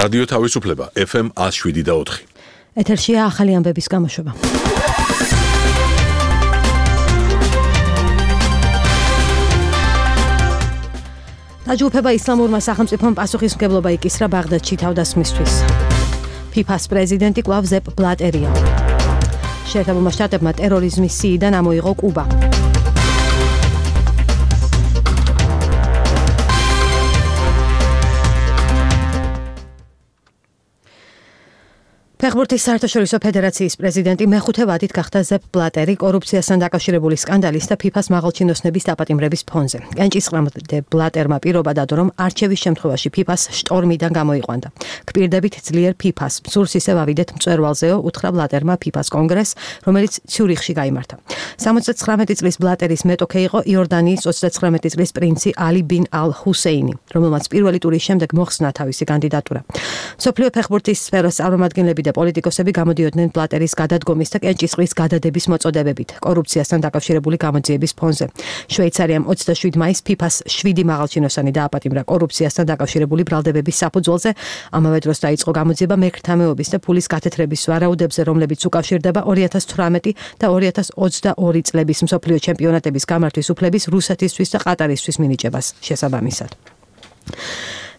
რადიო თავისუფლება FM 107.4. ეთერშია ახალი ამბების გამოშვება. დაჯგუფება ისლამურმა სახელმწიფომ პასუხისმგებლობა იკისრა ბაღდადში თავდასხმისთვის. ფიფას პრეზიდენტი კვლავ ზეპ ბლატერია. შეერთებულმა შტატებმა ტერორიზმის სიიდან ამოიღო კუბა. ფეხბურთის საერთაშორისო ფედერაციის პრეზიდენტი მეხუთე ვადით გახდა ზეპ ბლატერი კორუფციასთან დაკავშირებული სკანდალის და ფიფას მაღალჩინოსნების დაპატიმრების ფონზე. კენჭისყრამდე ბლატერმა პირობა დადო, რომ არჩევის შემთხვევაში ფიფას შტორმიდან გამოიყვანდა. გპირდებით ძლიერ ფიფას მსურს ისევ ავიდეთ მწვერვალზეო, უთხრა ბლატერმა ფიფას კონგრესს, რომელიც ციურიხში გაიმართა. 79 წლის ბლატერის მეტოქე იყო იორდანიის 39 წლის პრინცი ალი ბინ ალ ჰუსეინი, რომელმაც პირველი ტურის შემდეგ მოხსნა თავისი კანდიდატურა. მსოფლიო ფეხბურთის სფეროს წარმომადგენლები პოლიტიკოსები გამოდიოდნენ ბლატერის გადადგომის და კენჭისყრის გადადების მოწოდებებით კორუფციასთან დაკავშირებული გამოძიების ფონზე. შვეიცარიამ 27 მაისს ფიფას 7 მაღალჩინოსანი დააპატიმრა კორუფციასთან დაკავშირებული ბრალდებების საფუძველზე. ამავე დროს დაიწყო გამოძიება მერქთამეობის და ფულის გათეთრების ვარაუდებზე, რომლებიც უკავშირდება 2018 და 2022 წლების მსოფლიო ჩემპიონატების გამართვის უფლების რუსეთისთვის და ყატარისთვის მინიჭებას შესაბამისად.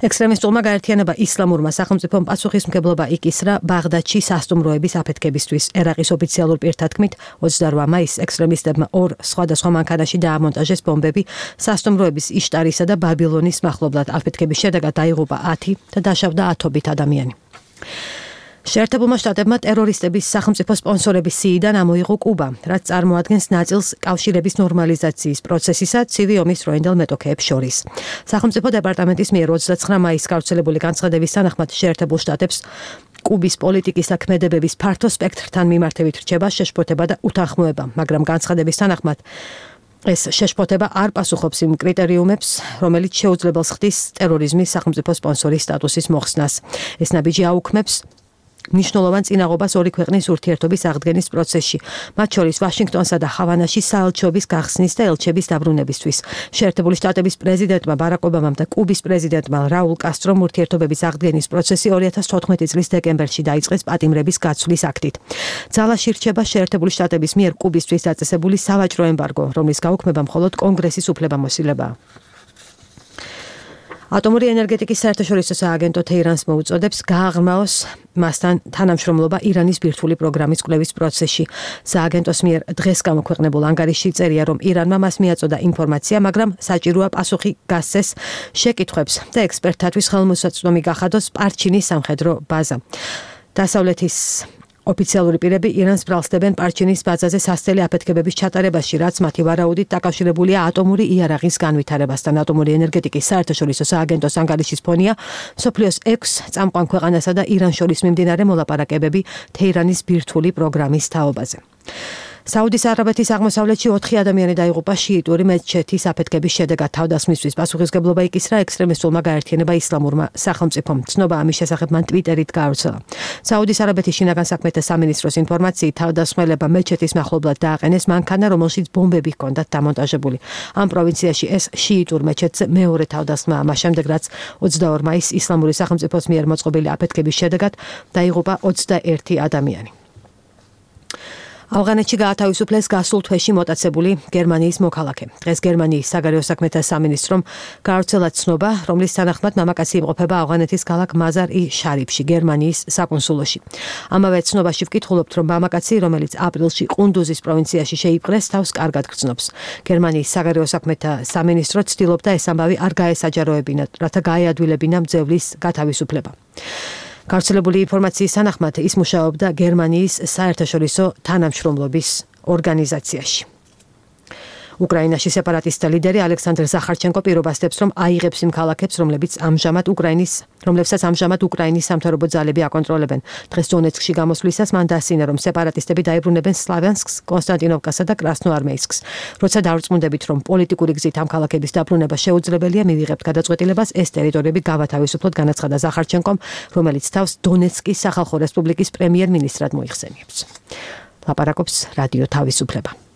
ექსტრემისტულმა გაერთიანება ისლამურმა სახელმწიფომ პასუხისმგებლობა იკისრა ბაღდადში სასტუმროების აფეთქებისთვის. ერაყის ოფიციალურ პირთათქმით 28 მაისს ექსტრემისტებმა ორ სხვადასხვა მანქანაში დაამონტაჟეს ბომბები სასტუმროების იშტარისა და ბაბილონის მახლობლად. აფეთქების შედეგად დაიღუპა 10 და დაშავდა 10-ობით ადამიანი. შეერთებულმა შტატებმა ტერორისტების სახელმწიფო სპონსორების სიიდან ამოიღო კუბა, რაც წარმოადგენს ნაწილს კავშირების ნორმალიზაციის პროცესისა ცივი ომის დროინდელ მეტოქეებს შორის. სახელმწიფო დეპარტამენტის მიერ 29 მაისს გავრცელებული განცხადების თანახმად შეერთებულ შტატებს კუბის პოლიტიკის და ქმედებების ფართო სპექტრთან მიმართებით რჩება შეშფოთება და უთანხმოება, მაგრამ განცხადების თანახმად ეს შეშფოთება არ პასუხობს იმ კრიტერიუმებს, რომელიც შეუძლებელს ხდის ტერორიზმის სახელმწიფო სპონსორის სტატუსის მოხსნას. ეს ნაბიჯი აუქმებს მნიშვნელოვან წინაღობას ორი ქვეყნის ურთიერთობის აღდგენის პროცესში, მათ შორის ვაშინგტონსა და ჰავანაში საელჩოების გახსნის და ელჩების დაბრუნებისთვის. შეერთებული შტატების პრეზიდენტმა ბარაკ ობამამ და კუბის პრეზიდენტმა რაულ კასტრომ ურთიერთობების აღდგენის პროცესი 2014 წლის დეკემბერში დაიწყეს პატიმრების გაცვლის აქტით. ძალაში რჩება შეერთებული შტატების მიერ კუბისთვის დაწესებული სავაჭრო ემბარგო, რომლის გაუქმება მხოლოდ კონგრესის უფლებამოსილებაა. ატომური ენერგეტიკის საერთაშორისო სააგენტო თეირანს მოუწოდებს გააღრმაოს მასთან თანამშრომლობა ირანის ბირთვული პროგრამის კვლევის პროცესში. სააგენტოს მიერ დღეს გამოქვეყნებულ ანგარიშში წერია, რომ ირანმა მას მიაწოდა ინფორმაცია, მაგრამ საჭიროა პასუხი გასცეს შეკითხვებს და ექსპერტთათვის ხელმისაწვდომი გახადოს პარჩინის სამხედრო ბაზა. დასავლეთის ოფიციალური პირები ირანს ბრალსდებენ პარჩინის ბაზაზე სასწრაფო აფეთქებების ჩატარებაში, რაც მათი ვარაუდით დაკავშირებულია ატომური იარაღის განვითარებასთან. ატომური ენერგეტიკის საერთაშორისო სააგენტოს ანგარიშის ფონია მსოფლიოს 6 წამყვან ქვეყანასა და ირანს შორის მიმდინარე მოლაპარაკებები თეირანის ბირთვული პროგრამის თაობაზე. საუდის არაბეთის აღმოსავლეთში 4 ადამიანი დაიღუპა შიიტური მეჩეთის აფეთქების შედეგად. თავდასხმისთვის პასუხისმგებლობა იკისრა ექსტრემისტულმა გაერთიანება ისლამურმა სახელმწიფომ. ცნობა ამის შესახებ მან ტვიტერით გაავრცელა. საუდის არაბეთის შინაგან საქმეთა სამინისტროს ინფორმაციით, თავდასხმელება მეჩეთის მახლობლად დააყენეს მანქანა, რომელშიც ბომბები ჰქონდათ დამონტაჟებული. ამ პროვინციაში ეს შიიტურ მეჩეთზე მეორე თავდასხმაა, მას შემდეგ რაც 22 მაისს ისლამური სახელმწიფოს მიერ მოწყობილი აფეთქების შედეგად დაიღუპა 21 ადამიანი. ავღანეთში გაათავისუფლეს გასულ თვეში მოტაცებული გერმანიის მოქალაქე. დღეს გერმანიის საგარეო საქმეთა სამინისტრომ გაავრცელა ცნობა, რომლის თანახმად მამაკაცი იმყოფება ავღანეთის ქალაქ მაზარ-ი-შარიფში, გერმანიის საკონსულოში. ამავე ცნობაში ვკითხულობთ, რომ მამაკაცი, რომელიც აპრილში ყუნდუზის პროვინციაში შეიპყრეს, თავს კარგად გრძნობს. გერმანიის საგარეო საქმეთა სამინისტრო ცდილობდა ეს ამბავი არ გაესაჯაროებინათ, რათა გაეადვილებინა მძევლის გათავისუფლება. გავრცელებული ინფორმაციის თანახმად ის მუშაობდა გერმანიის საერთაშორისო თანამშრომლობის ორგანიზაციაში. უკრაინაში სეპარატისტთა ლიდერი ალექსანდრ ზახარჩენკო პირობასდებს, რომ აიღებს იმ ქალაქებს, რომლებსაც ამჟამად უკრაინის სამთავრობო ძალები აკონტროლებენ. დღეს დონეცკში გამოსვლისას მან დასცინა, რომ სეპარატისტები დაებრუნებენ სლავიანსკს, კონსტანტინოვკასა და კრასნოარმეისკს. როცა დავრწმუნდებით, რომ პოლიტიკური გზით ამ ქალაქების დაბრუნება შეუძლებელია, მივიღებთ გადაწყვეტილებას ეს ტერიტორიები გავათავისუფლოთ, განაცხადა ზახარჩენკომ, რომელიც თავს დონეცკის სახალხო რესპუბლიკის პრემიერ-მინისტრად მოიხსენიებს. ლაპარაკობს რადიო თავისუფლება.